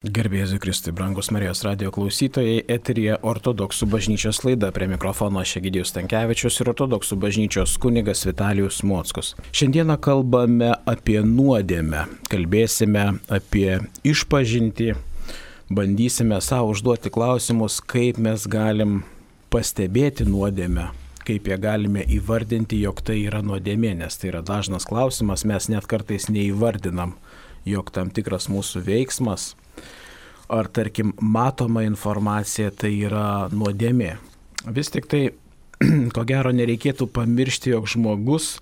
Garbė Jėzui Kristui, brangus Marijos radijo klausytojai, eteryje Ortodoksų bažnyčios laida, prie mikrofono Egidijus Stankevičius ir Ortodoksų bažnyčios kunigas Vitalijus Mockus. Šiandieną kalbame apie nuodėmę, kalbėsime apie išpažintį, bandysime savo užduoti klausimus, kaip mes galim pastebėti nuodėmę, kaip ją galime įvardinti, jog tai yra nuodėmė, nes tai yra dažnas klausimas, mes net kartais neįvardinam, jog tam tikras mūsų veiksmas ar, tarkim, matoma informacija tai yra nuodėmė. Vis tik tai, ko gero, nereikėtų pamiršti, jog žmogus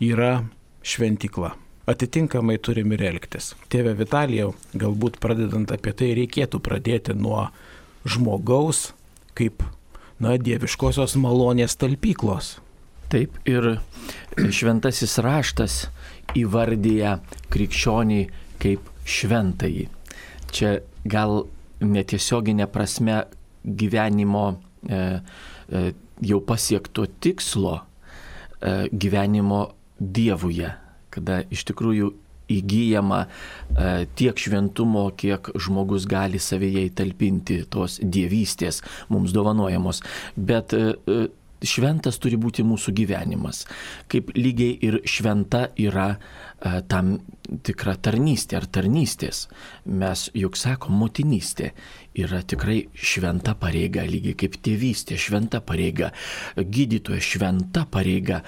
yra šventykla. Atitinkamai turim ir elgtis. Tėve Vitalijau, galbūt pradedant apie tai reikėtų pradėti nuo žmogaus kaip, dieviškosios malonės talpyklos. Taip, ir šventasis raštas įvardyja krikščionį kaip šventąjį. Čia gal netiesioginė prasme gyvenimo jau pasiekto tikslo gyvenimo Dievuje, kada iš tikrųjų įgyjama tiek šventumo, kiek žmogus gali savyje įtalpinti tos dievystės mums dovanojamos. Bet šventas turi būti mūsų gyvenimas, kaip lygiai ir šventa yra tam tikra tarnystė ar tarnystės. Mes juk sakom, motinystė yra tikrai šventa pareiga, lygiai kaip tėvystė šventa pareiga, gydytoja šventa pareiga.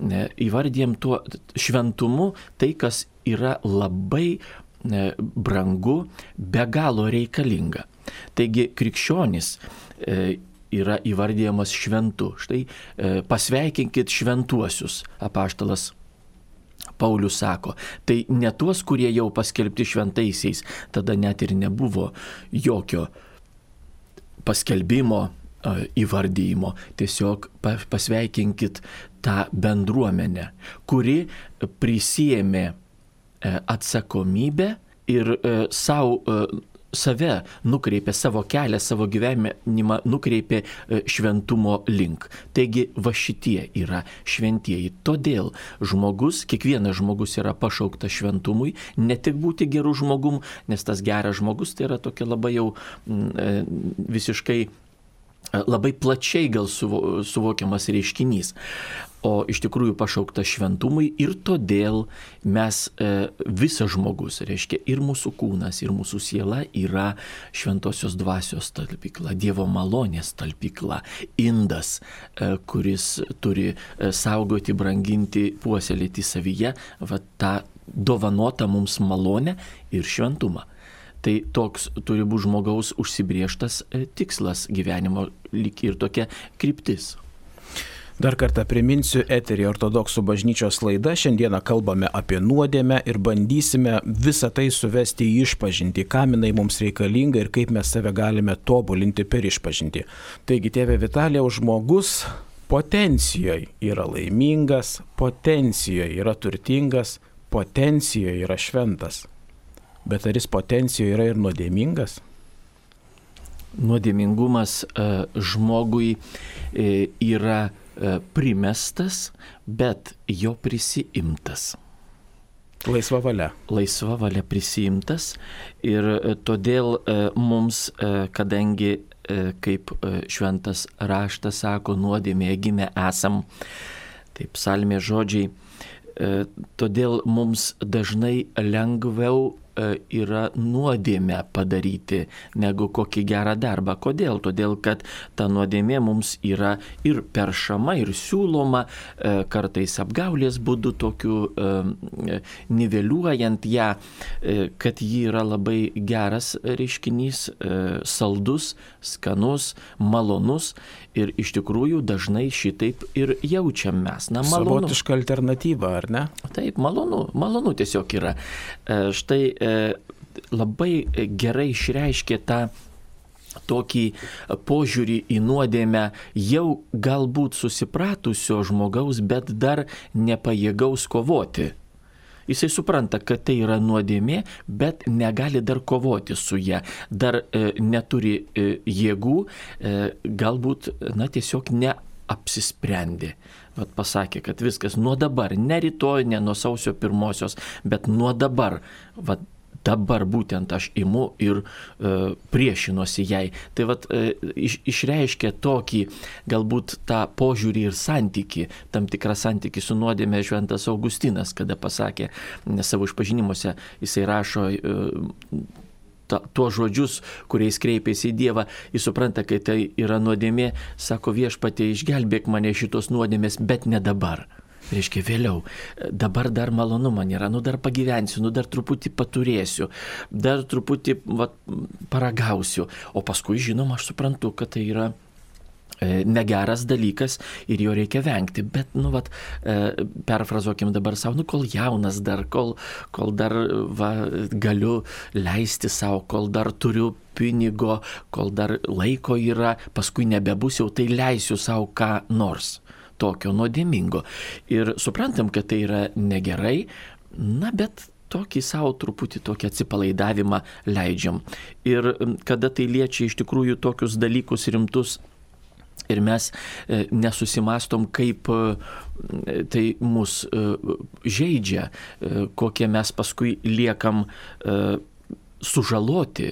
Įvardėjom tuo šventumu tai, kas yra labai brangu, be galo reikalinga. Taigi krikščionis yra įvardyjamas šventu. Štai pasveikinkit šventuosius, apaštalas Paulius sako. Tai ne tuos, kurie jau paskelbti šventaisiais, tada net ir nebuvo jokio paskelbimo, įvardyjimo. Tiesiog pasveikinkit tą bendruomenę, kuri prisiėmė atsakomybę ir save nukreipė, savo kelią, savo gyvenimą nukreipė šventumo link. Taigi va šitie yra šventieji. Todėl kiekvienas žmogus yra pašauktas šventumui, ne tik būti gerų žmogum, nes tas geras žmogus tai yra tokia labai jau visiškai labai plačiai gal suvokiamas reiškinys. O iš tikrųjų pašauktas šventumui ir todėl mes visas žmogus, reiškia ir mūsų kūnas, ir mūsų siela yra šventosios dvasios talpykla, Dievo malonės talpykla, indas, kuris turi saugoti, branginti, puoselėti savyje tą dovanotą mums malonę ir šventumą. Tai toks turi būti žmogaus užsibrėžtas tikslas gyvenimo, lyg ir tokia kryptis. Dar kartą priminsiu, eteryje Ortodoksų bažnyčios laida. Šiandieną kalbame apie nuodėmę ir bandysime visą tai suvesti į išpažintį, kam jinai mums reikalinga ir kaip mes save galime tobulinti per išpažintį. Taigi, tėve Vitalijau, žmogus potencijoje yra laimingas, potencijoje yra turtingas, potencijoje yra šventas. Bet ar jis potencijoje yra ir nuodėmingas? Nuodėmingumas žmogui yra primestas, bet jo prisiimtas. Laisva valia. Laisva valia prisiimtas ir todėl mums, kadangi, kaip šventas raštas sako, nuodėmėje gimę esam, taip psalmės žodžiai, todėl mums dažnai lengviau yra nuodėmę padaryti negu kokį gerą darbą. Kodėl? Todėl, kad ta nuodėmė mums yra ir peršama, ir siūloma, kartais apgaulės būdu tokiu niveliuojant ją, kad ji yra labai geras reiškinys, saldus, skanus, malonus ir iš tikrųjų dažnai šitaip ir jaučiam mes. Malonu. Savotiška alternatyva, ar ne? Taip, malonu tiesiog yra. Štai labai gerai išreiškė tą tokį požiūrį į nuodėmę jau galbūt susipratusio žmogaus, bet dar nepajėgaus kovoti. Jisai supranta, kad tai yra nuodėmė, bet negali dar kovoti su ją, dar neturi jėgų, galbūt tiesiog neapsisprendė. Pasakė, kad viskas nuo dabar, ne rytoj, ne nuo sausio 1, bet nuo dabar dabar būtent aš imu ir priešinuosi jai. Tai vat išreiškia tokį galbūt tą požiūrį ir santyki, tam tikrą santyki su nuodėme šventas Augustinas, kada pasakė savo išpažinimuose, jisai rašo tuos žodžius, kuriais kreipėsi į Dievą, jis supranta, kai tai yra nuodėmė, sako Viešpatie, išgelbėk mane šitos nuodėmės, bet ne dabar. Reiškia vėliau, dabar dar malonu man yra, dar pagyvensiu, dar truputį paturėsiu, dar truputį paragausiu, o paskui, žinoma, aš suprantu, kad tai yra negeras dalykas ir jo reikia vengti, bet, perfrazuokim dabar savo, kol jaunas dar, kol dar galiu leisti savo, kol dar turiu pinigo, kol dar laiko yra, paskui nebebus jau, tai leisiu savo ką nors tokio nuodėmingo. Ir suprantam, kad tai yra negerai, bet tokį savo truputį tokį atsipalaidavimą leidžiam. Ir kada tai liečia iš tikrųjų tokius dalykus rimtus, ir mes nesusimastom, kaip tai mus žeidžia, kokie mes paskui liekam sužaloti.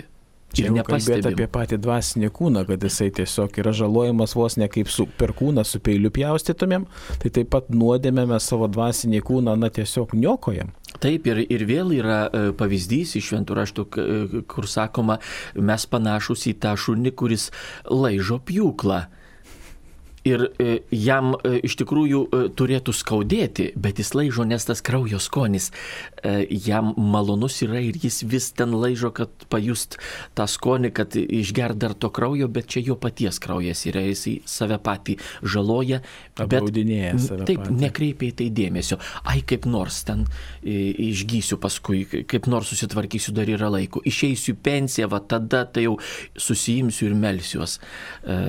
Čia jau kalbėti apie patį dvasinį kūną, kad jisai tiesiog yra žalojamas vos ne kaip per kūną su peiliu pjaustytumėm, tai taip pat nuodėmę mes savo dvasinį kūną tiesiog niokojam. Taip, ir vėl yra pavyzdys iš Šventų raštų, kur sakoma, mes panašus į tą šunį, kuris laižo pjūklą. Ir jam iš tikrųjų turėtų skaudėti, bet jis laižo, nes tas kraujo skonis jam malonus yra ir jis vis ten laižo, kad pajust tą skonį, kad išgert dar to kraujo, bet čia jo paties kraujas yra, jis save patį žaloja, apgaudinėja save taip, patį. Nekreipia į tai dėmesio. Ai, kaip nors ten išgysiu paskui, kaip nors susitvarkysiu, dar yra laiko. Išeisiu į pensiją, tada tai jau susijimsiu ir melsiuos.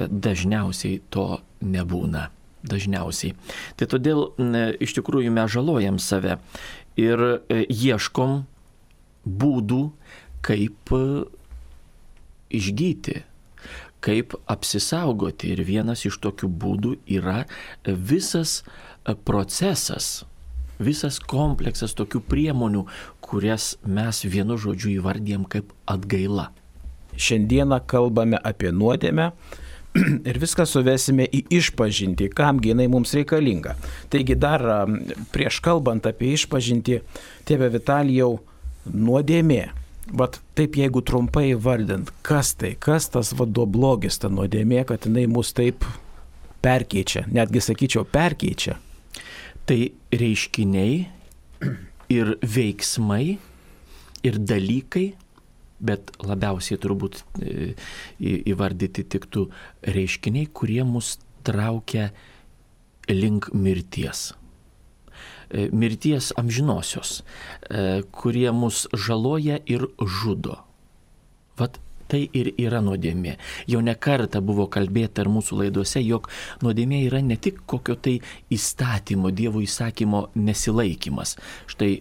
Dažniausiai to nebūna. Dažniausiai. Tai todėl iš tikrųjų mes žalojam save ir ieškom būdų, kaip išgyti, kaip apsisaugoti. Ir vienas iš tokių būdų yra visas procesas, visas kompleksas tokių priemonių, kurias mes vienu žodžiu įvardijam kaip atgaila. Šiandieną kalbame apie nuodėmę ir viską suvesime į išpažintį, kamgi jinai mums reikalinga. Taigi dar prieš kalbant apie išpažintį, tėve Vitalijau, nuodėmė. Bet taip jeigu trumpai vardint, kas tas blogis, ta nuodėmė, kad jinai mus taip perkeičia, netgi sakyčiau perkeičia. Tai reiškiniai ir veiksmai ir dalykai, bet labiausiai turbūt įvardyti tiktų reiškiniai, kurie mus traukia link mirties. Mirties amžinosios, kurie mus žaloja ir žudo. Vat tai ir yra nuodėmė. Jau ne kartą buvo kalbėta ir mūsų laidose, jog nuodėmė yra ne tik kokio tai įstatymo, Dievo įsakymo nesilaikymas. Štai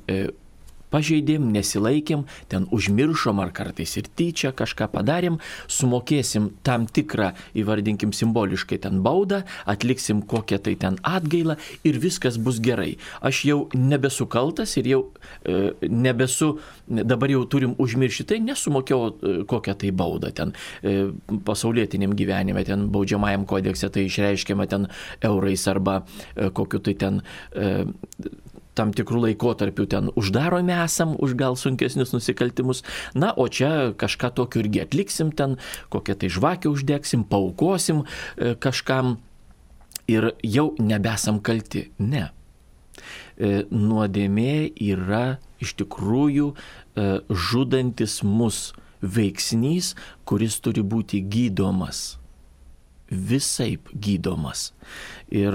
pažeidėm, nesilaikėm, ten užmiršom ar kartais ir tyčia kažką padarėm, sumokėsim tam tikrą, įvardinkim simboliškai ten baudą, atliksim kokią tai ten atgailą ir viskas bus gerai. Aš jau nebesu kaltas ir jau dabar jau turim užmiršti tai, nesumokėjau kokią tai baudą ten pasaulietiniam gyvenime, ten baudžiamajam kodekse tai išreiškiama ten eurais arba kokiu tai ten tam tikrų laikotarpių ten uždaromi esam už gal sunkesnius nusikaltimus. Na, o čia kažką tokio irgi atliksim ten, kokią tai žvakę uždegsim, paaukosim kažkam ir jau nebesam kalti. Ne. Nuodėmė yra iš tikrųjų žudantis mus veiksnys, kuris turi būti gydomas. Visaip gydomas. Ir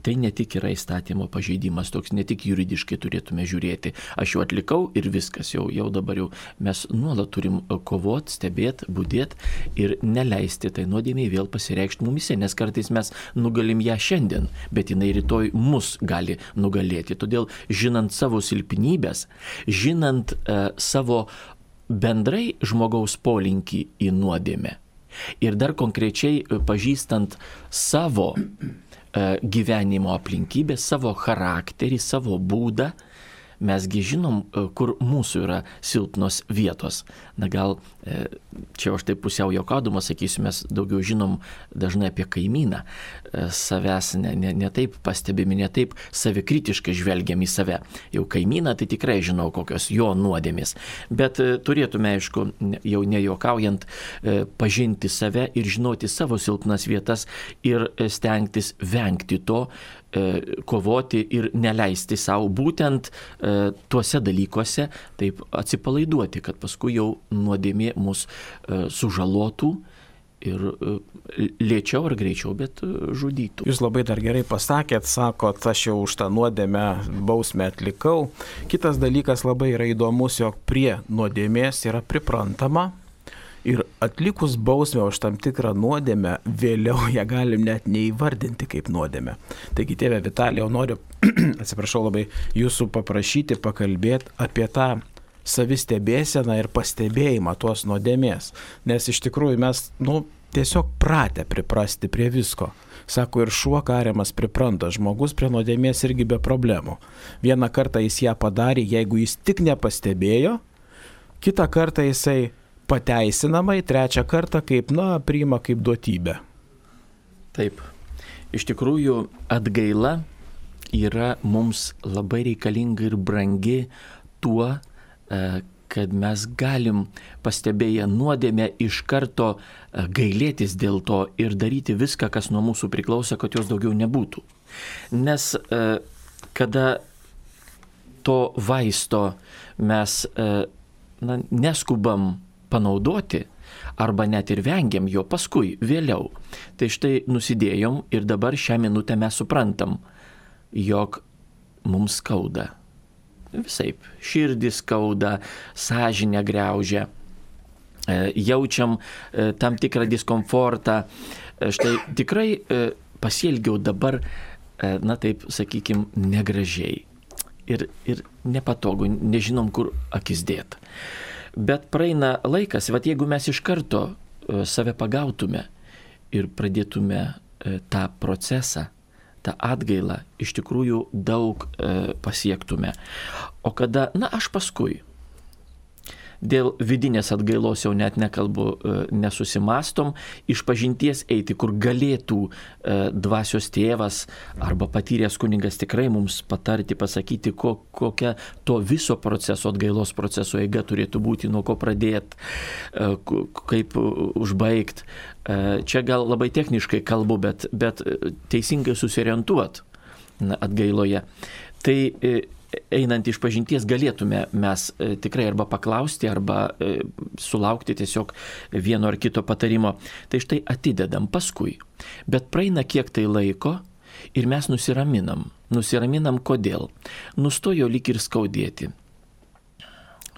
tai ne tik yra įstatymo pažeidimas, toks ne tik juridiškai turėtume žiūrėti. Aš jau atlikau ir viskas, jau dabar jau mes nuolat turim kovoti, stebėti, budėti ir neleisti tai nuodėmei vėl pasireikšti mumise, nes kartais mes nugalim ją šiandien, bet jinai rytoj mus gali nugalėti. Todėl žinant savo silpnybės, žinant savo bendrai žmogaus polinkį į nuodėmę, ir dar konkrečiai pažįstant savo gyvenimo aplinkybės, savo charakterį, savo būdą, mesgi žinom, kur mūsų yra silpnos vietos. Na gal čia aš taip pusiau juokaudamas sakysiu, mes daugiau žinom dažnai apie kaimyną. Savęs ne taip pastebimi, ne taip savikritiškai žvelgiam į save. Jau kaimyną tai tikrai žinau, kokios jo nuodėmės. Bet turėtume, aišku, jau nejuokaujant, pažinti save ir žinoti savo silpnas vietas ir stengtis vengti to, kovoti ir neleisti savo būtent tuose dalykuose taip atsipalaiduoti, kad paskui jau nuodėmė mus sužalotų ir lėčiau ar greičiau, bet žudytų. Jūs labai dar gerai pasakėt, sakot, aš jau už tą nuodėmę bausmę atlikau. Kitas dalykas labai yra įdomus, jog prie nuodėmės yra priprantama. Ir atlikus bausmę už tam tikrą nuodėmę, vėliau ją galim net neįvardinti kaip nuodėmę. Taigi, tėve Vitalijau, noriu, atsiprašau labai, jūsų paprašyti pakalbėti apie tą savistebėseną ir pastebėjimą tos nuodėmės. Nes iš tikrųjų mes, tiesiog pratę priprasti prie visko. Sako, ir šuo kariamas pripranta, žmogus prie nuodėmės irgi be problemų. Vieną kartą jis ją padarė, jeigu jis tik nepastebėjo, kitą kartą jisai pateisinamai, trečią kartą priima kaip duotybę. Taip. Iš tikrųjų, atgaila yra mums labai reikalinga ir brangi tuo, kad mes galim pastebėję nuodėmę iš karto gailėtis dėl to ir daryti viską, kas nuo mūsų priklauso, kad jos daugiau nebūtų. Nes kada to vaisto mes neskubam panaudoti arba net ir vengiam jo paskui, vėliau. Tai štai nusidėjom ir dabar šią minutę mes suprantam, jog mums skauda. Visaip, širdį skauda, sąžinę griaužia, jaučiam tam tikrą diskomfortą. Štai tikrai pasielgiau dabar, taip sakykim, negražiai ir nepatogu, nežinom, kur akis dėt. Bet praeina laikas, jeigu mes iš karto save pagautume ir pradėtume tą procesą, tą atgailą, iš tikrųjų daug pasiektume. O kada, aš paskui, dėl vidinės atgailos jau net nekalbu, nesusimastom, išpažinties eiti, kur galėtų dvasios tėvas arba patyręs kunigas tikrai mums patarti, pasakyti, kokia to viso proceso, atgailos proceso eiga turėtų būti, nuo ko pradėti, kaip užbaigti. Čia gal labai techniškai kalbu, bet teisingai susiorientuot atgailoje. Tai einant iš pažinties galėtume mes tikrai arba paklausti, arba sulaukti tiesiog vieno ar kito patarimo. Tai štai atidedam paskui. Bet praeina kiek tai laiko ir mes nusiraminam. Nusiraminam kodėl? Nustojo lyg ir skaudėti,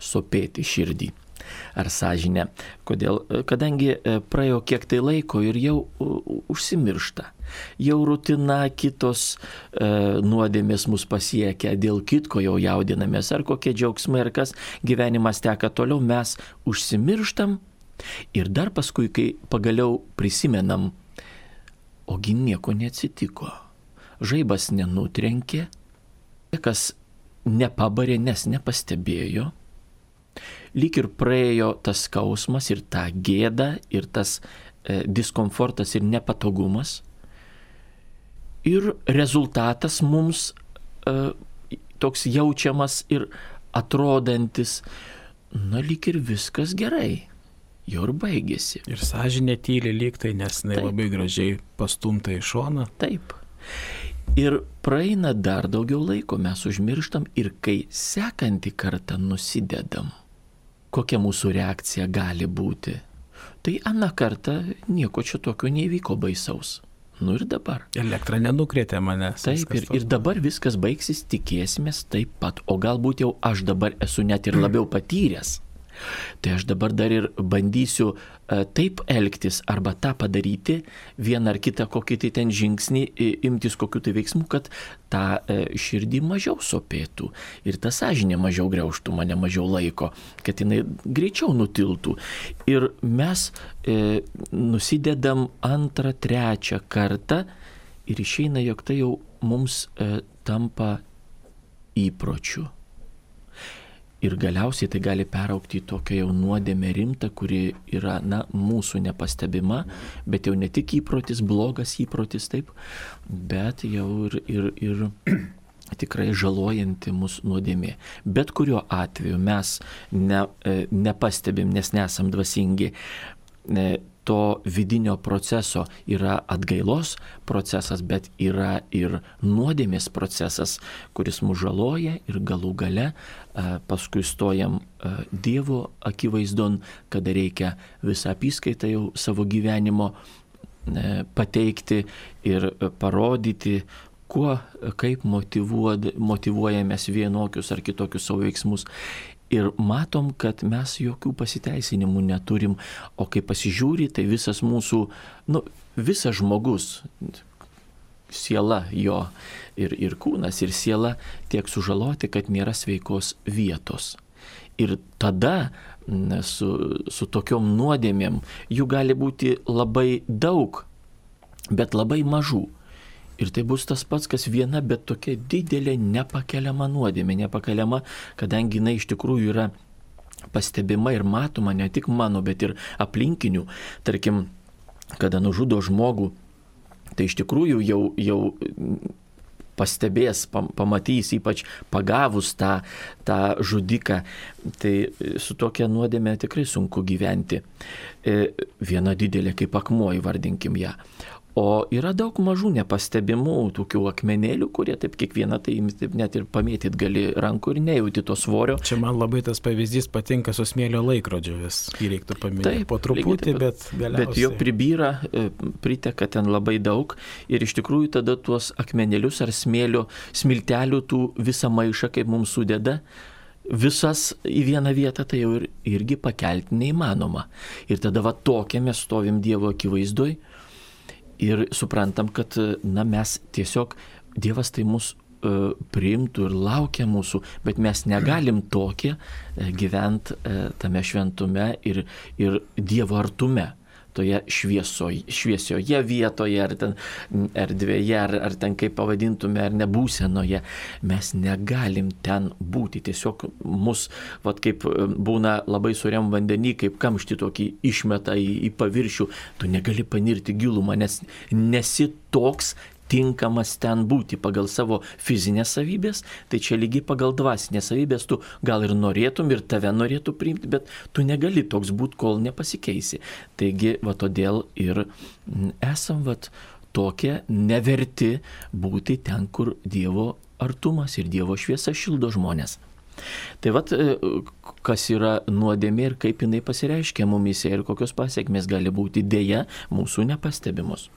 sopėti širdį ar sąžinę. Kodėl? Kadangi praėjo kiek tai laiko ir jau užsimiršta. Jau rutina, kitos nuodėmės mus pasiekia, dėl kitko jau jaudinamės, ar kokie džiaugsmai, ar kas gyvenimas teka toliau, mes užsimirštam ir dar paskui, kai pagaliau prisimenam, ogi nieko neatsitiko. Žaibas nenutrenkė, kas nepabarė, nes nepastebėjo. Lyg ir praėjo tas skausmas ir ta gėda ir tas diskomfortas ir nepatogumas. Ir rezultatas mums toks jaučiamas ir atrodantis, lyg ir viskas gerai. Jau ir baigėsi. Ir sąžinė tyli lyg tai, nes jinai labai gražiai pastumta į šoną. Taip. Ir praeina dar daugiau laiko, mes užmirštam ir kai sekantį kartą nusidedam, kokia mūsų reakcija gali būti. Tai aną kartą nieko čia tokio neįvyko baisaus. Ir dabar. Elektra nenukrėtė manęs. Taip, ir dabar viskas baigsis, tikėsimės taip pat. O galbūt jau aš dabar esu net ir labiau patyręs. Tai aš dabar dar ir bandysiu taip elgtis arba tą padaryti, vieną ar kitą kokį tai ten žingsnį, imtis kokių tai veiksmų, kad tą širdį mažiau sopėtų ir tą sąžinę mažiau griaužtų mane, mažiau laiko, kad jinai greičiau nutiltų. Ir mes nusidedam antrą, trečią kartą ir išeina, jog tai jau mums tampa įpročiu. Ir galiausiai tai gali peraugti į tokią jau nuodėmę rimtą, kuri yra, mūsų nepastebima, bet jau ne tik įprotis, blogas įprotis, taip, bet jau ir tikrai žalojanti mūsų nuodėmė. Bet kuriuo atveju mes nepastebim, nes nesam dvasingi, to vidinio proceso yra atgailos procesas, bet yra ir nuodėmės procesas, kuris mus žaloja ir galų gale paskui stojam Dievo akivaizdon, kada reikia visą apyskaitą jau savo gyvenimo pateikti ir parodyti, kaip motyvuojamės vienokius ar kitokius savo veiksmus. Ir matom, kad mes jokių pasiteisinimų neturim, o kai pasižiūri, tai visas mūsų, visas žmogus, siela jo ir kūnas, ir siela tiek sužaloti, kad nėra sveikos vietos. Ir tada su tokiom nuodėmėm jų gali būti labai daug, bet labai mažų. Ir tai bus tas pats, kas viena, bet tokia didelė nepakeliama nuodėmė, nepakeliama, kadangi jinai iš tikrųjų yra pastebima ir matoma ne tik mano, bet ir aplinkinių. Tarkim, kada nužudo žmogų, tai iš tikrųjų jau pastebės, pamatys, ypač pagavus tą žudiką, tai su tokia nuodėmė tikrai sunku gyventi. Viena didelė kaip akmuo, įvardinkim ją. O yra daug mažų nepastebimų tokių akmenėlių, kurie taip kiekvieną tai net ir pamėtyt gali rankų ir nejauti to svorio. Čia man labai tas pavyzdys patinka su smėlio laikrodžiu vis. Jį reiktų paminėti po truputį, bet galiausiai. Bet jo pribyra, priteka ten labai daug ir iš tikrųjų tada tuos akmenėlius ar smiltelių tų visą maišą, kaip mums sudeda, visas į vieną vietą, tai jau irgi pakelti neįmanoma. Ir tada tokia mes stovim Dievo akivaizdoj. Ir suprantam, kad mes tiesiog, Dievas tai mus priimtų ir laukia mūsų, bet mes negalim tokie gyventi tame šventume ir Dievo artume, toje šviesioje vietoje, ar ten erdvėje, ar ten kaip pavadintume, ar nebūsenoje. Mes negalim ten būti. Tiesiog mus, kaip būna labai suriam vandenį, kaip kamštį tokį išmeta į paviršių, tu negali panirti gilumą, nes nesi toks tinkamas ten būti pagal savo fizinės savybės, tai čia lygiai pagal dvasinės savybės tu gal ir norėtum, ir tave norėtų priimti, bet tu negali toks būti, kol nepasikeisi. Taigi, todėl ir esam tokie neverti būti ten, kur Dievo artumas ir Dievo šviesa šildo žmonės. Tai kas yra nuodėmė ir kaip jinai pasireiškia mumise ir kokios pasiekmės gali būti, dėja mūsų nepastebimos.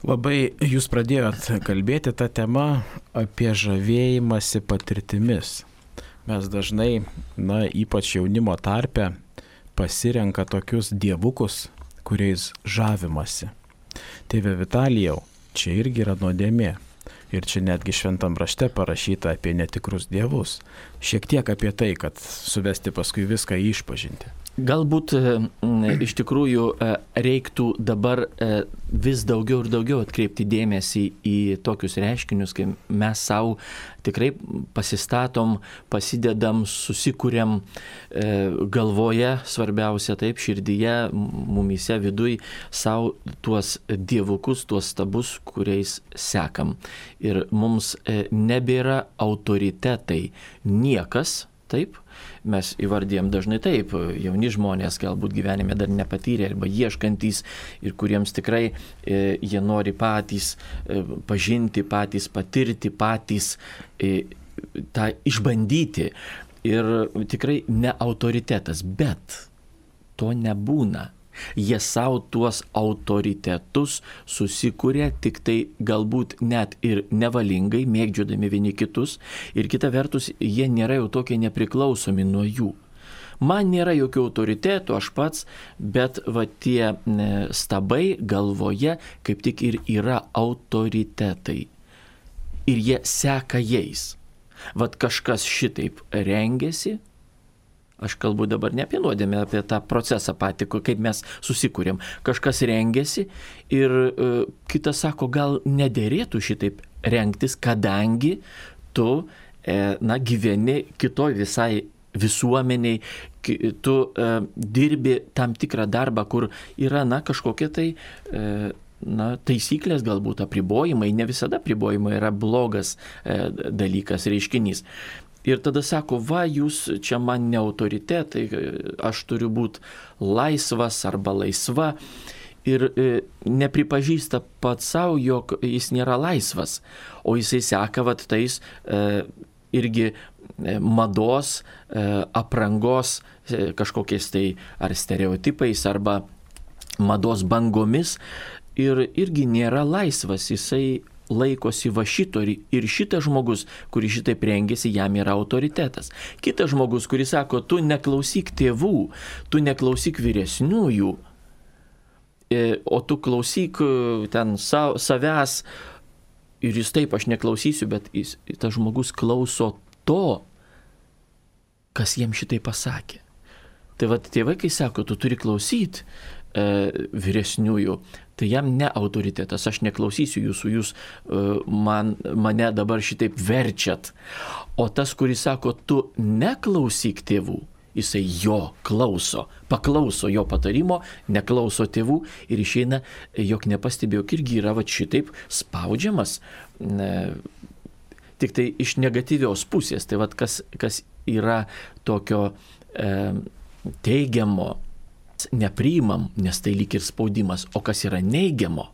Labai jūs pradėjot kalbėti tą temą apie žavėjimąsi patirtimis. Mes dažnai, ypač jaunimo tarpe, pasirenka tokius dievukus, kuriais žavimasi. Tėve Vitalijau, čia irgi yra nuodėmė. Ir čia netgi šventam rašte parašyta apie netikrus dievus. Šiek tiek apie tai, kad suvesti paskui viską į išpažintį. Galbūt iš tikrųjų reiktų dabar vis daugiau ir daugiau atkreipti dėmesį į tokius reiškinius, kai mes savo tikrai pasistatom, pasidedam, susikuriam galvoje, svarbiausia taip, širdyje, mumyse, viduj, savo tuos dievukus, tuos stabus, kuriais sekam. Ir mums nebėra autoritetai niekas, taip, mes įvardėjom dažnai taip, jauni žmonės galbūt gyvenime dar nepatyrė arba ieškantys ir kuriems tikrai jie nori patys pažinti, patys patirti, patys tą išbandyti. Ir tikrai ne autoritetas, bet to nebūna. Jie savo tuos autoritetus susikūrė tik tai galbūt net ir nevalingai, mėgdžiodami vieni kitus, ir kita vertus jie nėra jau tokie nepriklausomi nuo jų. Man nėra jokių autoritetų, aš pats, bet tie stabai galvoje kaip tik ir yra autoritetai. Ir jie seka jais. Kažkas šitaip rengiasi. Aš kalbu dabar ne apie nuodėmę, apie tą procesą patį, kaip mes susikūrėm. Kažkas rengiasi ir kitas sako, gal nederėtų šitaip rengtis, kadangi tu gyveni kitoj visai visuomeniai, tu dirbi tam tikrą darbą, kur yra, kažkokie tai taisyklės, galbūt apribojimai, ne visada apribojimai yra blogas dalykas, reiškinys. Ir tada sako, jūs čia man ne autoritetai, aš turiu būti laisvas arba laisva. Ir nepripažįsta pats savo, jog jis nėra laisvas, o jisai seka tais irgi mados, aprangos kažkokiais tai ar stereotipais, arba mados bangomis ir irgi nėra laisvas, jisai laikosi va šito ir šitas žmogus, kuris šitaip rengėsi, jam yra autoritetas. Kitas žmogus, kuris sako, tu neklausyk tėvų, tu neklausyk vyresniųjų, o tu klausyk ten savęs ir jis taip, aš neklausysiu, bet tas žmogus klauso to, kas jam šitai pasakė. Tai tėvai, kai sako, tu turi klausyti vyresniųjų, tai jam ne autoritetas, aš neklausysiu jūsų, jūs mane dabar šitaip verčiat. O tas, kuris sako, tu neklausyk tėvų, jisai jo klauso, paklauso jo patarimo, neklauso tėvų ir išeina, jog nepastebėjo, irgi yra šitaip spaudžiamas, tik tai iš negatyvios pusės. Tai kas yra tokio teigiamo, nepriimam, nes tai lyg ir spaudimas, o kas yra neigiamo,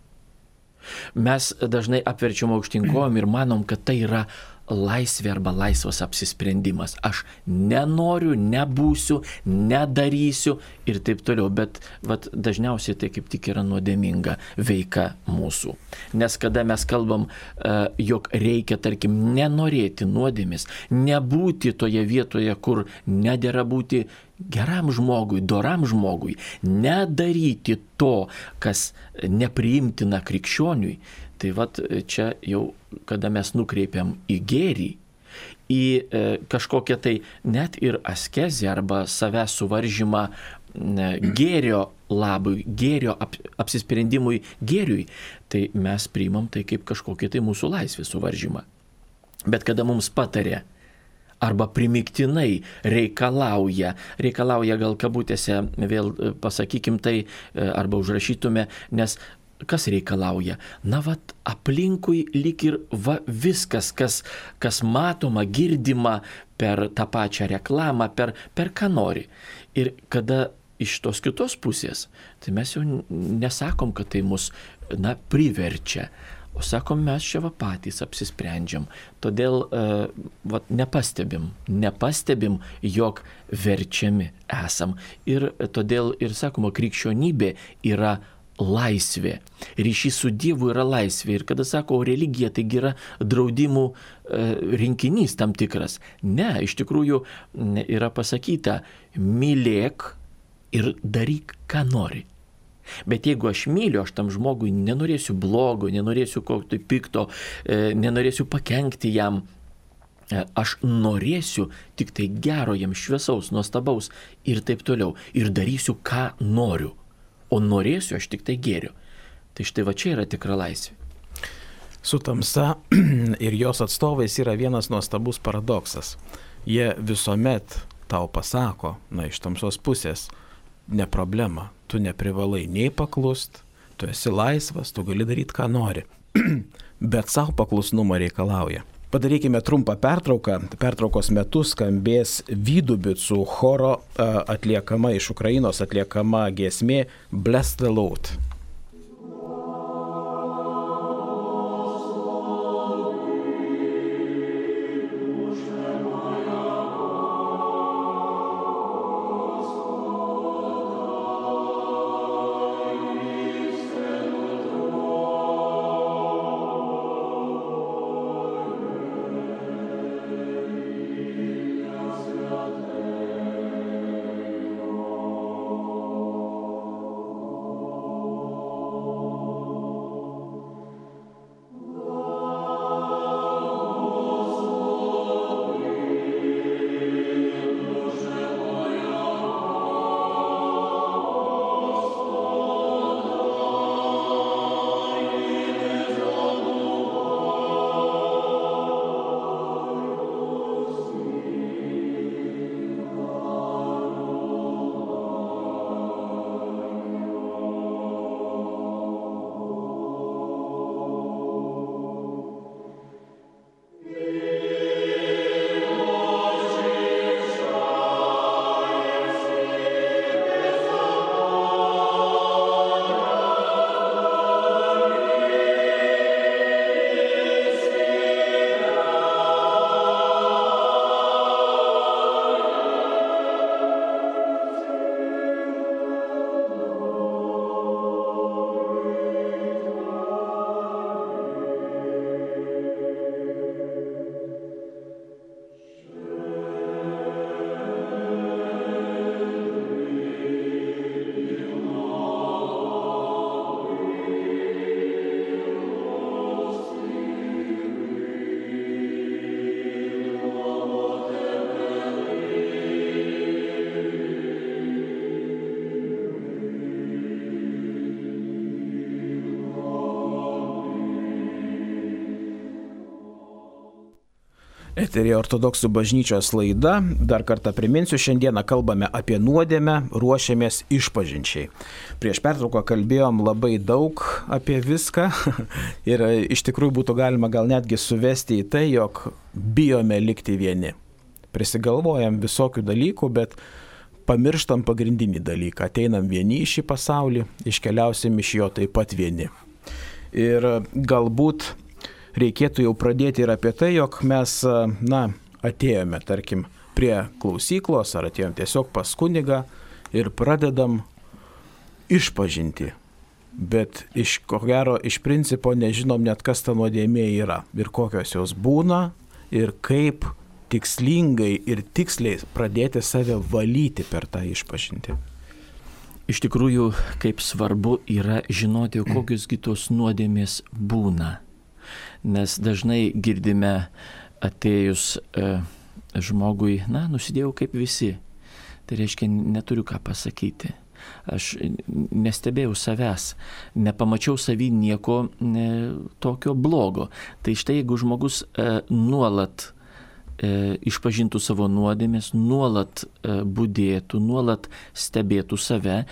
mes dažnai apverčiam aukštyn kojom ir manom, kad tai yra laisvė arba laisvas apsisprendimas. Aš nenoriu, nebūsiu, nedarysiu ir taip toliau. Bet dažniausiai tai kaip tik yra nuodėminga veika mūsų. Nes kada mes kalbam, jog reikia, tarkim, nenorėti nuodėmės, nebūti toje vietoje, kur nedera būti geram žmogui, doram žmogui, nedaryti to, kas nepriimtina krikščioniui, tai čia jau, kada mes nukreipiam į gėrį, į kažkokią tai net ir askezę arba savęs suvaržymą gėrio labui, gėrio apsisprendimui gėriui, tai mes priimam tai kaip kažkokį tai mūsų laisvės suvaržymą. Bet kada mums patarė, arba primiktinai reikalauja gal kabutėse, vėl pasakykim tai, arba užrašytume, nes kas reikalauja? Aplinkui lyg ir viskas, kas matoma, girdima per tą pačią reklamą, per ką nori. Ir kada iš tos kitos pusės, tai mes jau nesakom, kad tai mus priverčia, o sakom, mes čia patys apsisprendžiam. Todėl nepastebim, jog verčiami esam. Ir todėl ir sakoma, krikščionybė yra laisvė. Ryšys su Dievu yra laisvė. Ir kada sako, religija taigi yra draudimų rinkinys tam tikras. Ne, iš tikrųjų yra pasakyta, mylėk ir daryk, ką nori. Bet jeigu aš myliu, aš tam žmogui nenorėsiu blogo, nenorėsiu kokio pikto, nenorėsiu pakenkti jam. Aš norėsiu tik tai gero jam, šviesaus, nuostabaus ir taip toliau. Ir darysiu, ką noriu. O norėsiu aš tik tai gėriu. Tai štai čia yra tikra laisvė. Su tamsa ir jos atstovais yra vienas nuostabus paradoksas. Jie visuomet tau pasako, iš tamsos pusės, ne problema, tu neprivalai nei paklust, tu esi laisvas, tu gali daryti, ką nori. Bet savo paklusnumo reikalauja. Padarykime trumpą pertrauką. Pertraukos metu skambės Vydubicų choro atliekama iš Ukrainos atliekama giesmė Bless the Lord. Eterija Ortodoksų bažnyčios laida. Dar kartą priminsiu, šiandieną kalbame apie nuodėmę, ruošiamės išpažinčiai. Prieš pertrauką kalbėjom labai daug apie viską ir iš tikrųjų būtų galima gal netgi suvesti į tai, jog bijome likti vieni. Prisigalvojam visokių dalykų, bet pamirštam pagrindinį dalyką. Ateinam vieni į šį pasaulį, iškeliausim iš jo taip pat vieni. Ir galbūt reikėtų jau pradėti ir apie tai, jog mes, atėjome, tarkim, prie klausyklos ar atėjom tiesiog pas kunigą ir pradedam išpažinti. Bet ko gero, iš principo nežinom net, kas ta nuodėmė yra ir kokios jos būna ir kaip tikslingai ir tiksliai pradėti save valyti per tą išpažinti. Iš tikrųjų, kaip svarbu yra žinoti, kokios kitos nuodėmės būna. Nes dažnai girdime atėjus žmogui, nusidėjau kaip visi. Tai reiškia, neturiu ką pasakyti. Aš nestebėjau savęs, nepamačiau savy nieko tokio blogo. Tai štai, jeigu žmogus nuolat išpažintų savo nuodėmės, nuolat budėtų, nuolat stebėtų save.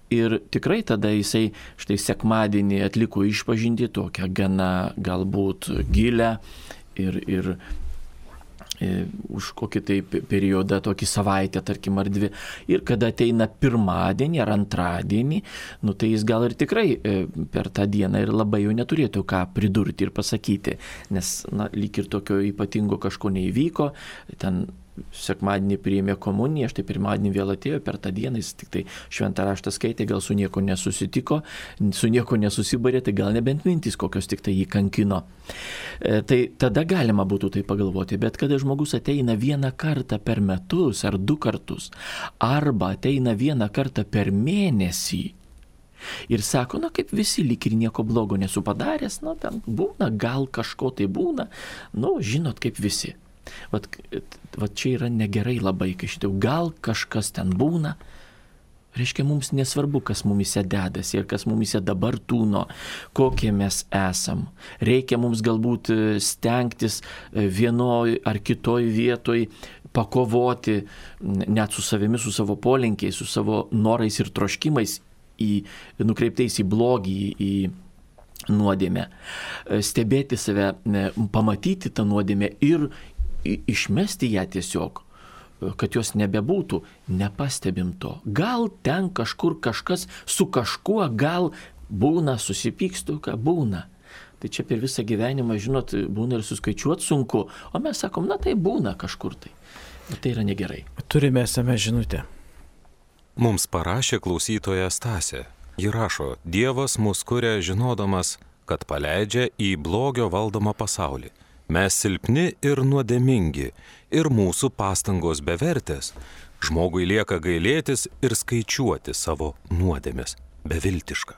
Ir tikrai tada jisai štai sekmadienį atliko išpažinti tokią gana galbūt gilę ir už kokį tai periodą, tokį savaitę, tarkim, ar dvi. Ir kada ateina pirmadienį ar antradienį, tai jis gal ir tikrai per tą dieną ir labai jau neturėtų ką pridurti ir pasakyti, nes lyg ir tokio ypatingo kažko neįvyko, ten sekmadienį priėmė komuniją, štai pirmadienį vėl atėjo, per tą dieną jis tik tai šventą raštą skaitė, gal su nieko nesusitiko, su nieko nesusibarė, tai gal nebent mintys kokios tik tai jį kankino. Tai tada galima būtų tai pagalvoti, bet kada žmogus ateina vieną kartą per metus ar 2 kartus, arba ateina vieną kartą per mėnesį ir sako, kaip visi, lyg ir nieko blogo nesu padaręs, ten būna, gal kažko tai būna, žinot, kaip visi. Vat čia yra negerai labai, kai šitau, gal kažkas ten būna, reiškia, mums nesvarbu, kas mumise dedasi ir kas mumise dabar tūno, kokie mes esam. Reikia mums galbūt stengtis vienoj ar kitoj vietoj pakovoti net su savimi, su savo polinkiais, su savo norais ir troškimais, nukreiptais į blogį, į nuodėmę. Stebėti save, pamatyti tą nuodėmę ir išmesti ją tiesiog, kad jos nebebūtų, nepastebim to. Gal ten kažkur kažkas su kažkuo, gal būna, susipykstu, ką būna. Tai čia per visą gyvenimą, žinot, būna ir suskaičiuoti sunku, o mes sakom, tai būna kažkur tai. Ir tai yra negerai. Turime SMS žinutę. Mums parašė klausytoja Stasė. Ji rašo, Dievas mus kuria žinodamas, kad paleidžia į blogio valdomą pasaulį. Mes silpni ir nuodėmingi, ir mūsų pastangos bevertės. Žmogui lieka gailėtis ir skaičiuoti savo nuodėmes. Beviltiška.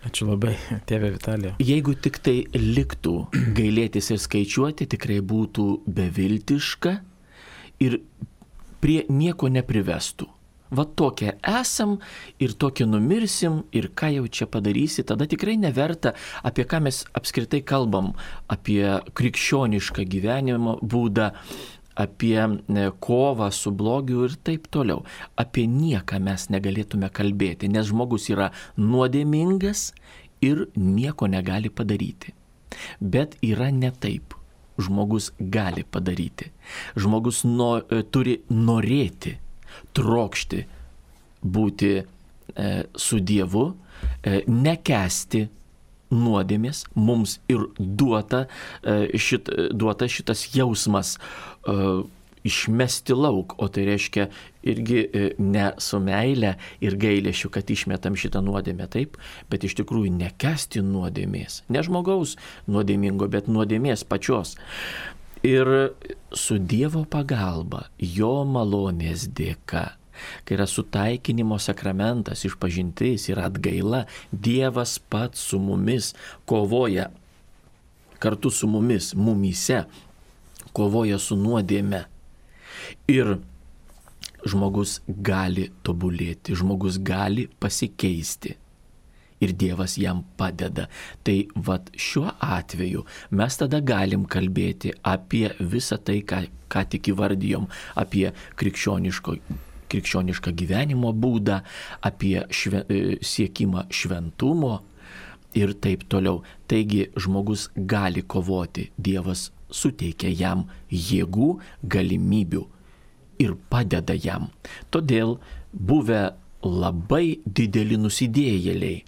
Ačiū labai, tėve Vitalija. Jeigu tik tai liktų gailėtis ir skaičiuoti, tikrai būtų beviltiška ir prie nieko neprivestų. Va tokie esam ir tokie numirsim ir ką jau čia padarysi, tada tikrai neverta, apie ką mes apskritai kalbam, apie krikščionišką gyvenimo būdą, apie kovą su blogiu ir taip toliau. Apie nieką mes negalėtume kalbėti, nes žmogus yra nuodėmingas ir nieko negali padaryti. Bet yra ne taip. Žmogus gali padaryti. Žmogus turi norėti, trokšti būti su Dievu, nekęsti nuodėmės, mums ir duota šitas jausmas išmesti lauk, o tai reiškia irgi ne su meile ir gailėšiu, kad išmetam šitą nuodėmę, taip, bet iš tikrųjų nekęsti nuodėmės, ne žmogaus nuodėmingo, bet nuodėmės pačios. Ir su Dievo pagalba, jo malonės dėka, kai yra sutaikinimo sakramentas, išpažintis ir atgaila, Dievas pats su mumis kovoja, kartu su mumis, mumyse, kovoja su nuodėme. Ir žmogus gali tobulėti, žmogus gali pasikeisti. ir Dievas jam padeda. Tai vat šiuo atveju mes tada galim kalbėti apie visą tai, ką tik įvardijom, apie krikščionišką gyvenimo būdą, apie siekimą šventumo ir taip toliau. Taigi žmogus gali kovoti, Dievas suteikia jam jėgų, galimybių ir padeda jam. Todėl buvę labai dideli nusidėjėliai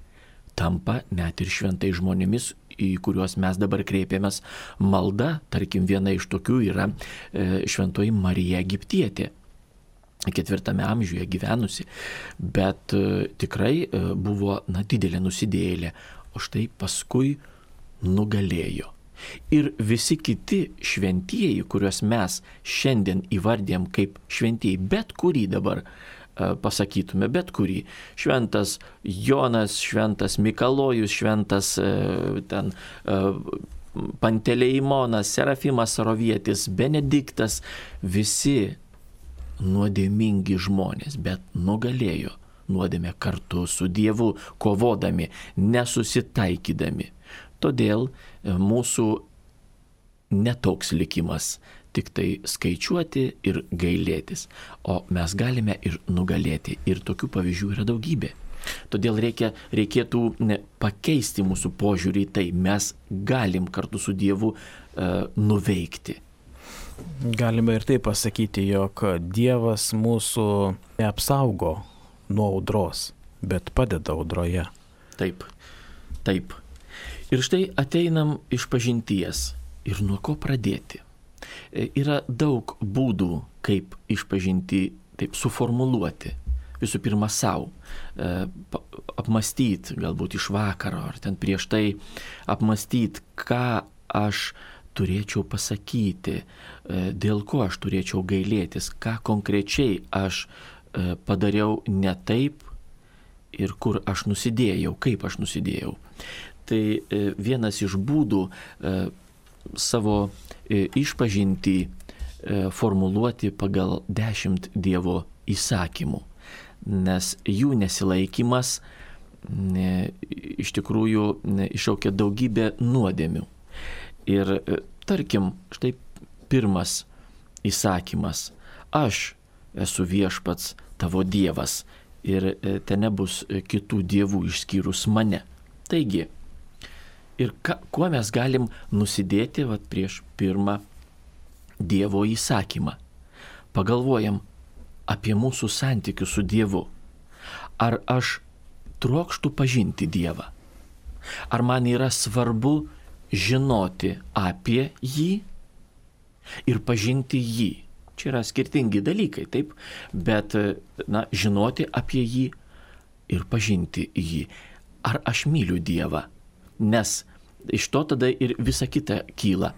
tampa net ir šventai žmonėmis, į kuriuos mes dabar kreipiamės malda. Tarkim, viena iš tokių yra šventoji Marija Egiptietė, 4 amžiuje gyvenusi, bet tikrai buvo didelė nusidėjėlė, o štai paskui nugalėjo. Ir visi kiti šventieji, kuriuos mes šiandien įvardėm kaip šventieji, bet kurį dabar pasakytume, bet kurį. Šventas Jonas, šventas Mikalojus, šventas Panteleimonas, Serafimas Sarovietis, Benediktas, visi nuodėmingi žmonės, bet nugalėjo nuodėmę kartu su Dievu, kovodami, nesusitaikydami. Todėl mūsų netoks likimas tik tai skaičiuoti ir gailėtis, o mes galime ir nugalėti. Ir tokių pavyzdžių yra daugybė. Todėl reikėtų pakeisti mūsų požiūrį į tai. Mes galim kartu su Dievu nuveikti. Galime ir taip pasakyti, jog Dievas mūsų neapsaugo nuo audros, bet padeda audroje. Taip. Ir štai ateinam iš pažinties. Ir nuo ko pradėti? Yra daug būdų, kaip išpažinti, taip suformuluoti. Visų pirma, savo. Apmastyti, galbūt iš vakaro, ar ten prieš tai apmastyti, ką aš turėčiau pasakyti, dėl ko aš turėčiau gailėtis, ką konkrečiai aš padariau ne taip ir kur aš nusidėjau, kaip aš nusidėjau. Tai vienas iš būdų savo išpažintį formuluoti pagal 10 Dievo įsakymų, nes jų nesilaikymas iš tikrųjų iššaukia daugybę nuodėmių. Ir tarkim, štai pirmas įsakymas: aš esu viešpats tavo Dievas ir ten nebus kitų dievų išskyrus mane. Taigi, ir kuo mes galim nusidėti prieš pirmą Dievo įsakymą? Pagalvojam apie mūsų santykius su Dievu. Ar aš trokštu pažinti Dievą? Ar man yra svarbu žinoti apie jį ir pažinti jį? Čia yra skirtingi dalykai, taip, bet žinoti apie jį ir pažinti jį. Ar aš myliu Dievą? Nes iš to tada ir visa kita kyla.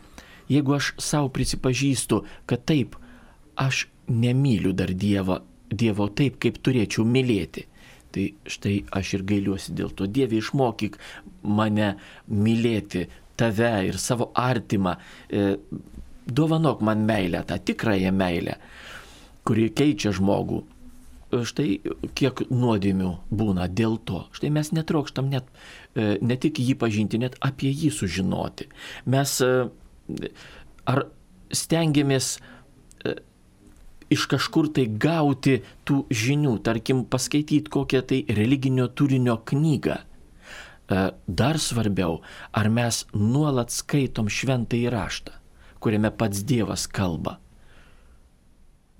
Jeigu aš savo prisipažįstu, kad taip, aš nemyliu dar Dievo taip, kaip turėčiau mylėti, tai štai aš ir gailiuosi dėl to. Dieve, išmokyk mane mylėti tave ir savo artimą. Dovanok man meilę, tą tikrąją meilę, kuri keičia žmogų. Štai kiek nuodėmių būna dėl to. Štai mes netrokštam net ne tik jį pažinti, net apie jį sužinoti. Mes ar stengiamės iš kažkur tai gauti tų žinių, tarkim paskaityti kokią tai religinio turinio knygą. Dar svarbiau, ar mes nuolat skaitom šventąjį raštą, kuriame pats Dievas kalba.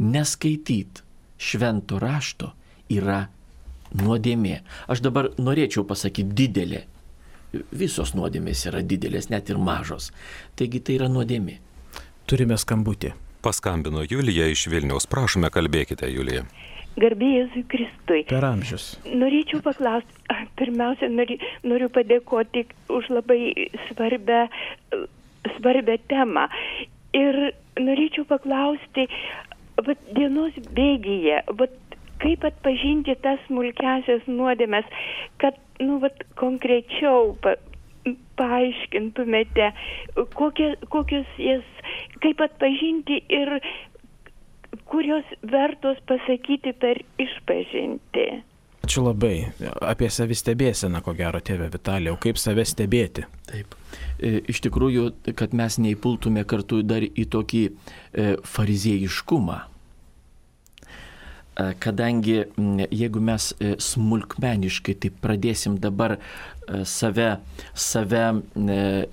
Neskaityti švento rašto yra nuodėmė. Aš dabar norėčiau pasakyti didelė. Visos nuodėmės yra didelės, net ir mažos. Taigi tai yra nuodėmė. Turime skambutį. Paskambino Julija iš Vilniaus. Prašome, kalbėkite, Julija. Garbė Jėzui Kristui. Per amžius. Norėčiau paklausti, pirmiausia, noriu padėkoti už labai svarbią temą. Ir norėčiau paklausti, dienos bėgyje, kaip atpažinti tas smulkiasias nuodėmes, kad, konkrečiau paaiškintumėte, kokios jas, kaip atpažinti ir kurios vertos pasakyti per išpažinti. Ačiū labai. Apie savistebėseną, ko gero, tėve Vitalijau, kaip save stebėti? Taip. Iš tikrųjų, kad mes neįpultume kartu dar į tokį fariziejiškumą. Kadangi jeigu mes smulkmeniškai taip pradėsim dabar save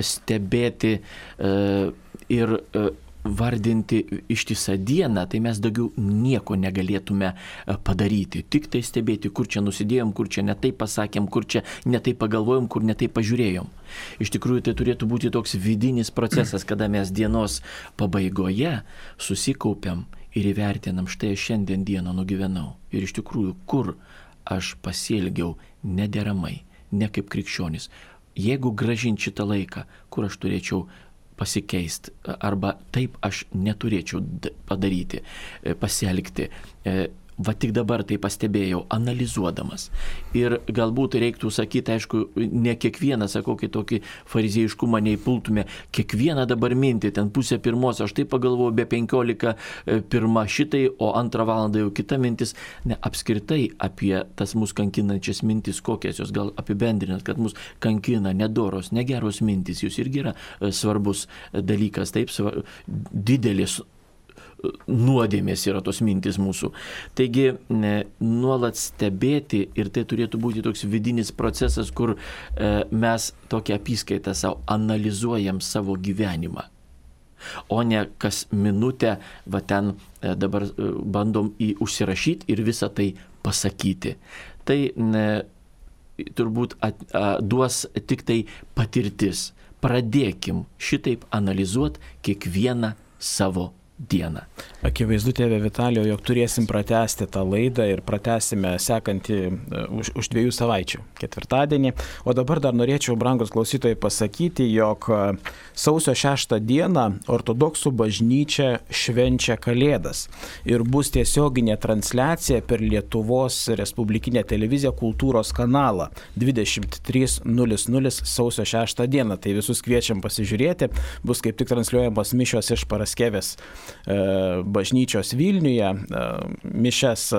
stebėti ir vardinti ištisą dieną, tai mes daugiau nieko negalėtume padaryti. Tik tai stebėti, kur čia nusidėjom, kur čia netai pasakėm, kur čia netai pagalvojom, kur netai pažiūrėjom. Iš tikrųjų, tai turėtų būti toks vidinis procesas, kada mes dienos pabaigoje susikaupiam ir įvertinam, štai aš šiandien dieną nugyvenau. Ir iš tikrųjų, kur aš pasielgiau nederamai, ne kaip krikščionis. Jeigu grąžint šitą laiką, kur aš turėčiau pasikeisti, arba taip aš neturėčiau padaryti, pasielgti. Va tik dabar tai pastebėjau, analizuodamas. Ir galbūt reiktų sakyti, aišku, ne kiekvieną, sakau, kitokį fariziejiškumą neįpultume, kiekvieną dabar mintį, ten 1:30, aš tai pagalvoju, be 15:01 šitai, o 2 valandą jau kita mintis. Ne, apskritai apie tas mus kankinančias mintis, kokias jos gal apibendrinat, kad mus kankina nedoros, negeros mintis, jūs irgi yra svarbus dalykas, taip, didelis nuodėmės yra tos mintis mūsų. Taigi nuolat stebėti ir tai turėtų būti toks vidinis procesas, kur mes tokią apyskaitą savo analizuojam savo gyvenimą. O ne kas minutę, va ten dabar bandom užsirašyti ir visą tai pasakyti. Tai turbūt duos tik tai patirtis. Pradėkim šitaip analizuoti kiekvieną savo dieną. Akivaizdu, tėve Vitalijau, jog turėsim pratęsti tą laidą ir pratęsime sekantį už 2 savaičių, ketvirtadienį. O dabar dar norėčiau, brangus klausytojai, pasakyti, jog sausio 6 dieną ortodoksų bažnyčia švenčia Kalėdas ir bus tiesioginė transliacija per Lietuvos Respublikinę televiziją Kultūros kanalą 23:00 sausio 6 dieną. Tai visus kviečiam pasižiūrėti. Bus kaip tik transliuojamos mišios iš Paraskevės bažnyčios Vilniuje, mišias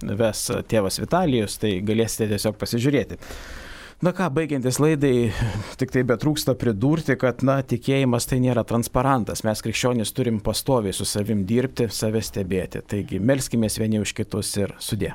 ves tėvas Vitalijus, tai galėsite tiesiog pasižiūrėti. Na ką, baigiantis laidai, tik tai betrūksta pridurti, kad, tikėjimas tai nėra transparantas. Mes krikščionys turim pastoviai su savim dirbti, save stebėti. Taigi, melskimės vieni už kitus ir sudie.